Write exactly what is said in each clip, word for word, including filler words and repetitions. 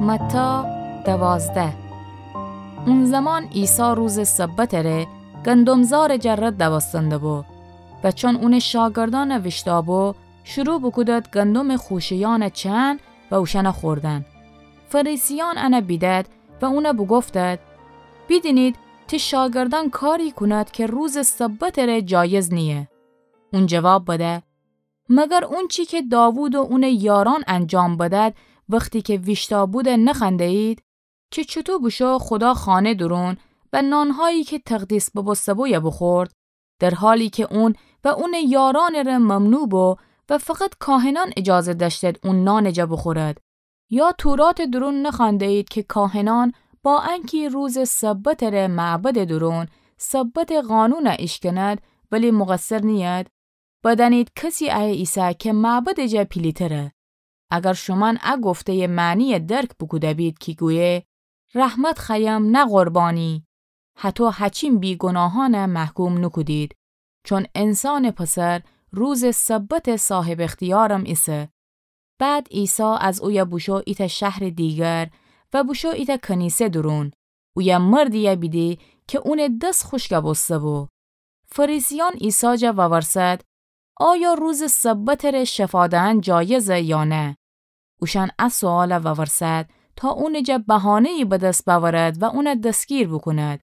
متی دوازده. اون زمان عیسی روزٚ سبتٚ ره گندم‌زارٚ جا رد دوستنده بو و چون اونٚ شاگردأن ویشتابو، شروع بوکودد گندمٚ خوشه‌یأن چأن و اوشأن خوردن. فریسیأن ان بیدد و اون بوگفتد: بیدینید، تی شاگردأن کاری کونید که روزٚ سبتٚ ره جایز نییه. اون جواب بده: مگر اونچی که داوود و اونٚ یارأن انجام بدد، وختی که ویشتابوده نخوأنده‌یید؟ که چوطو بوشو خودا خانه دورون و نانهایی که تقدیس ببوسته بویه بوخورد، در حالی که اون و اونٚ یارأنٚ ره ممنوع بو و فقط کاهنأن اجازه دأشتد اون نانٚ جا بوخورد؟ یا توراتٚ دورون نخوأنده‌یید که کاهنأن با انکی روزٚ سبتٚ ره معبدٚ دورون سبتٚ قانون ایشکنید، ولی مقصر نیید؟ بدأنید کسی ایه ایسه که معبدٚ جا پیلی‌تره. اگر شومأن ا گفته‌یٚ معنی‌یه درک بوکوده بید کی گویه: رحمت خوأیم نه قربانی، هطو هچین بی‌گوناهأن محکوم نوکودید، چون انسانٚ پسر روزٚ سبتٚ صاحب اختیارم ایسه. بعد عیسی از اویه بوشو ایتأ شهرٚ دیگر و بوشو ایتأ کنیسه دورون. اویه مردی‌یه بیدی که اونٚ دس خوشک بوسته بو. فریسیأن عیسی جا وورسد: آیا روزٚ سبتٚ ره شفا دهن جایزه یا نه؟ اوشأن ا سؤال وورسد تا اونٚ جا بهانه‌یی به دس بأورد و اون دستگیر بوکوند.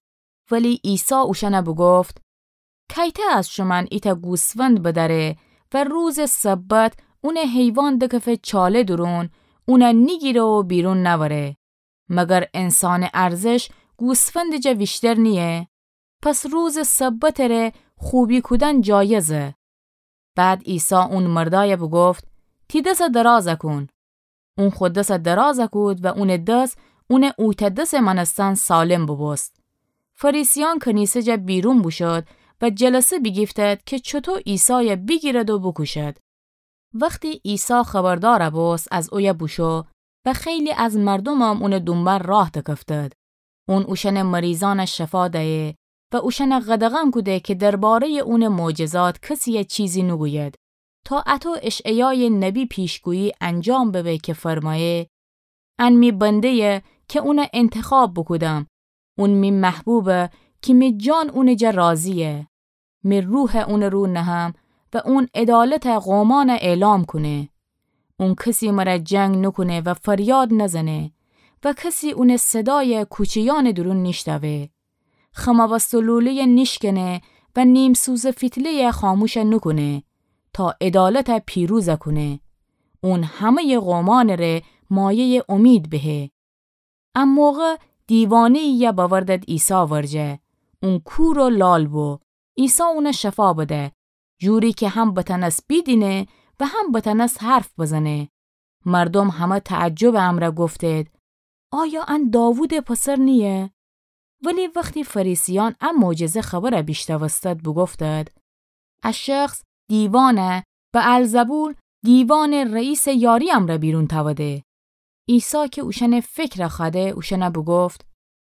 ولی عیسی اوشأن بوگفت: کیته از شومأن ایتأ گوسفند بدأره و روزٚ سبت اونٚ حیوان دکفه چاله دورون، اون نیگیره و بیرون نأوره؟ مگر انسانٚ ارزش گوسفندٚ جا ویشتر نییه؟ پس روزٚ سبتٚ ره خوبی کودن جایزه. بعد عیسی اون مردأی بوگفت: تی دس دراز کون. اون خو دس دراز کود و اونٚ دس اونٚ اویتأ دسٚ مأنستن سالم بوبوست. فریسیأن کنیسه جا بیرون بوشد و جلسه بیگیفتد که چوطو عیسای بیگیرد و بوکوشد. وختی عیسی خبردار بوست، از اویه بوشو و خیلی از مردومم اونٚ دونبان راه دکفتد. اون اوشأنٚ مریضأن شفا دیه و اوشأن قدغن کوده که درباره‌یٚ اونٚ معجزات کسی‌یه چیزی نوگوید، تا اطو اشعیایٚ نبی پیشگویی انجام ببه که فرمایه: ان می بنده‌یه که اون انتخاب بوکودم، اون می محبوبه که می جان اونٚ جا راضییه. می روح اونٚ رو نهم و اون عدالت قومأن اعلام کونه. اون کسی مر جنگ نوکونه و فریاد نزنه و کسی اونٚ صدای کوچه‌یأنٚ دورون نیشتوه. خم بستٚ لوله‌یه نیشکنه و نیم‌سوزٚ فیتله‌یه خاموش نوکونه، تا عدالت پیروز کونه. اون همه‌یٚ قومأنٚ ره مایه‌یٚ امید بهه. ا موقع دیوانه‌یی‌یه بأوردد عیسی ورجه. اون کور و لال بو. عیسی اون شفا بده، جوری که هم بتأنس بیدینه و هم بتأنس حرف بزنه. مردوم همه تعجبٚ امرأ گفتید: آیا ان داوودٚ پسر نییه؟ ولی وختی فریسیأن ا معجزه خبر بیشنوستد، بوگفتد: ا شخص دیوان بعلزبول، دیوانٚ رئیسٚ یاری امرأ بیرون تأوده. عیسی که اوشأنٚ فکر خوأده، اوشأن بوگفت: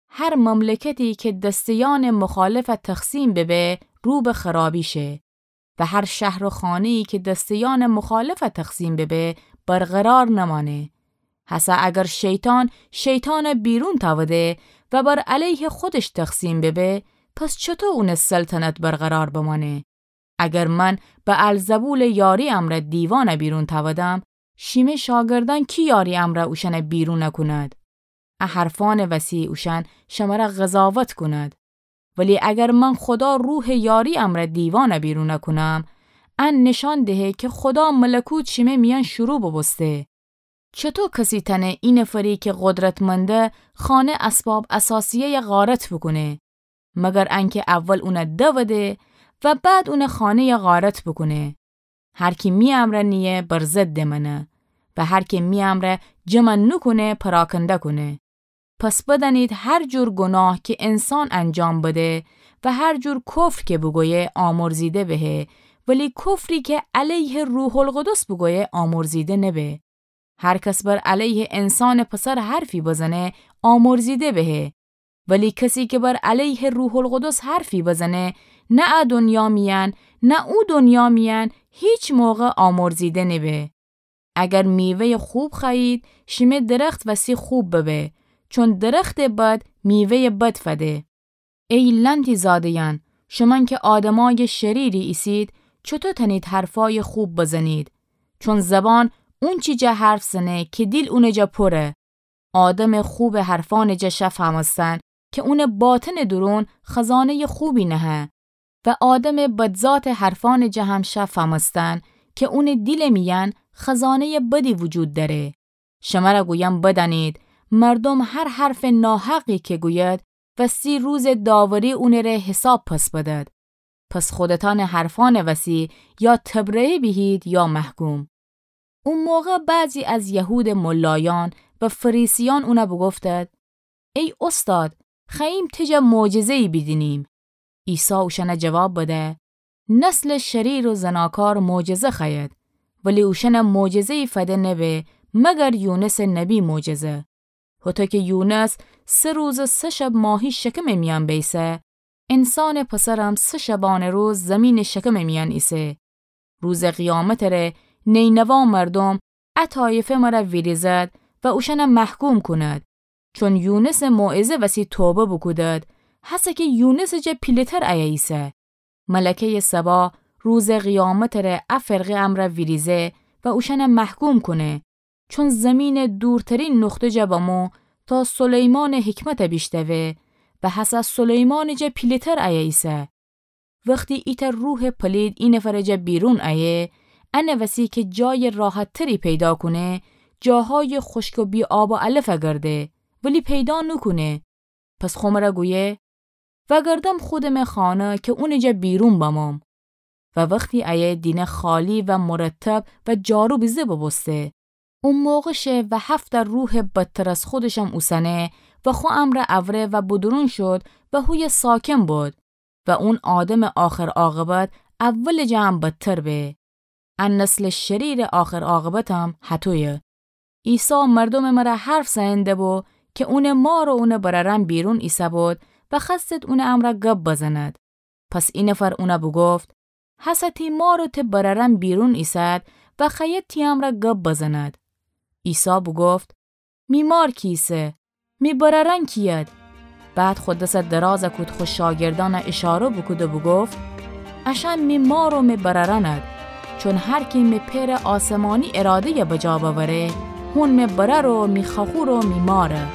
هر مملکتی که دسته‌یأنٚ مخالف تقسیم ببه، رو به خرابی شه، و هر شهر و خانه‌یی که دسته‌یأنٚ مخالف تقسیم ببه، برقرار نمأنه. هسه اگر شیطان شیطان بیرون تأوده و بر علیه خودش تقسیم ببه، پس چطو اونٚ سلطنت برقرار بمأنه؟ اگر من بعلزبولٚ یاری امرأ دیوان بیرون تأودم، شیمه شاگردأن کی یاری امرأ اوشأن بیرون کونید؟ ا حرفأنٚ وسی اوشأن شمر قضاوت کونید. ولی اگر من خدا روحٚ یاری امرأ دیوان بیرون کونم، ان نشان دهه که خدا ملکوت شیمه میأن شروع بوبوسته. چطو کسی تأنه اینفری که قدرتمنده خانه اسباب اثاثیه‌یه غارت بوکونه، مگر انکه اول اون دوده و بعد اون خانه‌یه غارت بوکونه؟ هر کی می امرأ نییه، بر ضد منه، و هر کی می امرأ جمع نوکونه، پراکنده کونه. پس بدأنید هر جور گناه که انسان انجام بده و هر جور کفر که بوگویه، آمرزیده بهه، ولی کفری که علیه روح‌القدس بوگویه، آمرزیده نبه. هر کس بر علیه انسانٚ پسر حرفی بزنه، آمرزیده بهه. ولی کسی که بر علیه روح‌القدس حرفی بزنه، نه ا دنیا میأن، نه او دنیا میأن، هیچ موقع آمرزیده نبه. اگر میوهٔ خوب خوأیید، شیمه درخت وسی خوب ببه، چون درختٚ بد میوهٔ بد فده. ای لأنتی‌زاده‌یأن، شومأن که آدمأیٚ شریری ایسید، چوطو تأنید حرفأیٚ خوب بزنید؟ چون زبان اونچی جا حرف زنه که دیل اونٚ جا پوره. آدمٚ خوبٚ حرفأنٚ جا شه فهمستن که اونٚ باطنٚ دورون خزانه‌یٚ خوبی نهه و آدمٚ بدذاتٚ حرفأنٚ جا هم شه فهمستن که اونٚ دیلٚ میأن خزانه‌یٚ بدی وجود دأره. شمر گویم بدأنید، مردوم هر حرفٚ ناحقی که گوید، وستی روزٚ داوری اونٚره حساب پس بدد. پس خودتأنٚ حرفأنٚ وسی یا تبرئه بیهید یا محکوم. او موقع بعضی از یهودٚ ملایأن و فریسیأن اون بوگفتد: ای اوستاد، خوأییم ته جا معجزه‌یی بیدینیم. عیسی اوشأن جواب بده: نسلٚ شریر و زناکار معجزه خوأید، ولی اوشأن معجزه‌یی فده نبه مگر یونسٚ نبی معجزه. هوطو که یونس سه روز و سه شب ماهی شکمٚ میأن بیسه، انسانٚ پسرم سه شبانه روز زیمینٚ شکمٚ میأن ایسه. روزٚ قیامتٚ ره نینوا مردوم ا طایفه مر ویریزد و اوشأن محکوم کونید، چون یونسٚ موعظه وسی توبه بوکودید، هسه که یونسٚ جا پیله‌تر ایه ایسه. ملکه‌یٚ سبا روزٚ قیامتٚ ره ا فرقه امر ویریزه و اوشأن محکوم کونه، چون زیمینٚ دورترین نقطه جا بمو تا سلیمانٚ حکمت بیشنوه و هسه سلیمانٚ جا پیله‌تر ایه ایسه. وختی ایتأ روحٚ پلید ای نفرٚ جا بیرون ایه، انٚ وسی که جایٚ راحت‌تری پیدا کونه، جاهایٚ خشک و بی‌آب و علف گرده، ولی پیدا نوکونه. پس خو مر گویه: وأگردم خودمٚ خانه که اونٚ جا بیرون بموم. و وختی ایه دینه خالی و مرتب و جارو بیزه بوبوسته. او موقع شه و هفت روحٚ بدتر از خودشم اوسنه و خو امر اوره و بدرون شد و هویه ساکن بد و اون آدمٚ آخر عاقبت اولٚ جا هم بدتر به. ا نسلٚ شریرٚ آخر عاقبتم هطویه. عیسی مردومٚ مر حرف زئن دبو که اونٚ مار و اونٚ برأرأن بیرون ایسه‌بود و خوأستد اونٚ امر گب بزند. پس ای نفر اون بوگفت: هسه تی مار و تی برأرأن بیرون ایسد و خوأیید تی امر گب بزند. عیسی بوگفت: می مار کیسه؟ می برأرأن کیید؟ بعد خو دس دراز کود خو شاگردأن اشاره بوکود و بوگفت: اشأن می مار و می برأرأند. چون هر کی می پئرٚ آسمانی اراده‌ی بجا بأوره، هون می برأر و می خوأخور و می ماره.